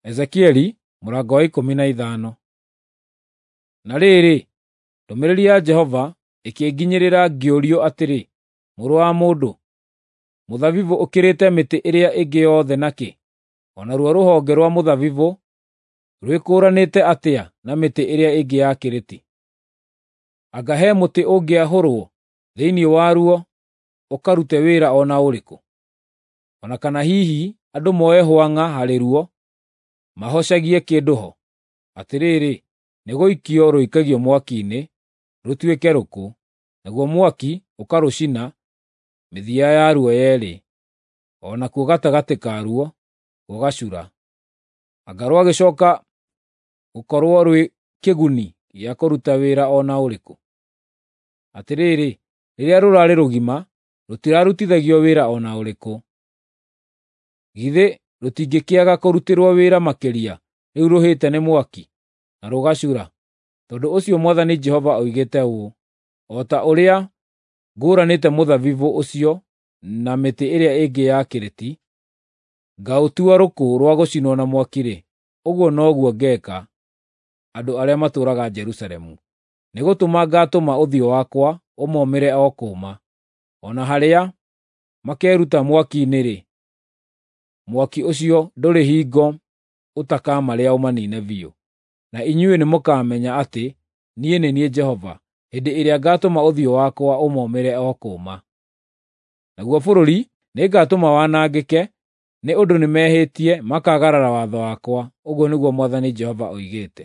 Ezekieli mũrango wa 15. Na rĩrĩ, ndũmĩrĩri ya Jehova ĩkĩnginyĩrĩra ngĩũrio atĩrĩ, “Mũrũ wa mũndũ, mũthabibũ ũkĩrĩte mĩtĩ ĩrĩa ĩngĩ yothe nakĩ? O naruo rũhonge rwa mũthabibũ rwĩkũũranĩte atĩa na mĩtĩ ĩrĩa ĩngĩ ya kĩrĩti? Anga he mũtĩ ũngĩahũrwo thĩinĩ waruo ũkarute wĩra o na ũrĩkũ? O na kana hihi andũ moe hwang'a harĩ ruo mahocagie kĩndũ ho? Atĩrĩrĩ, nĩgũikio rũikagio mwaki-inĩ rũtuĩke rũkũ, naguo mwaki ũkarũcina mĩthia yaruo yeerĩ, o nakuo gatagatĩ karuo gũgacura. Anga rwagĩcooka gũkorwo rwĩ kĩguni gĩa kũruta wĩra o na ũrĩkũ? Atĩrĩrĩ, rĩrĩa rũraarĩ rũgima, rũtirarutithagio wĩra o na ũrĩkũ. Githĩ rũtingĩkĩaga kũrutĩrwo wĩra makĩria rĩu rũhĩte nĩ mwaki, na rũgacura? Tondũ ũcio Mwathani Jehova oigĩte ũũ: O ta ũrĩa ngũũranĩte mũthabibũ ũcio na mĩtĩ ĩrĩa ĩngĩ ya kĩrĩti, ngaũtua rũkũ rwa gũcinwo na mwaki-rĩ, ũguo noguo ngeeka andũ arĩa matũũraga Jerusalemu. Nĩgũtũma ngaatũma ũthiũ wakwa ũmoomĩre o kũũma. O na harĩa makeruta mwaki-inĩ-rĩ, mwaki ũcio ndũrĩ hingo ũtakamarĩa ũmaniine biũ. Na inyuĩ nĩmũkamenya atĩ niĩ nĩ niĩ Jehova, hĩndĩ ĩrĩa ngaatũma ũthiũ wakwa ũmoomĩre o kũũma. Naguo bũrũri nĩngatũma wanangĩke nĩ ũndũ nĩmehĩtie makaagarara watho wakwa, ũguo nĩguo Mwathani Jehova oigĩte.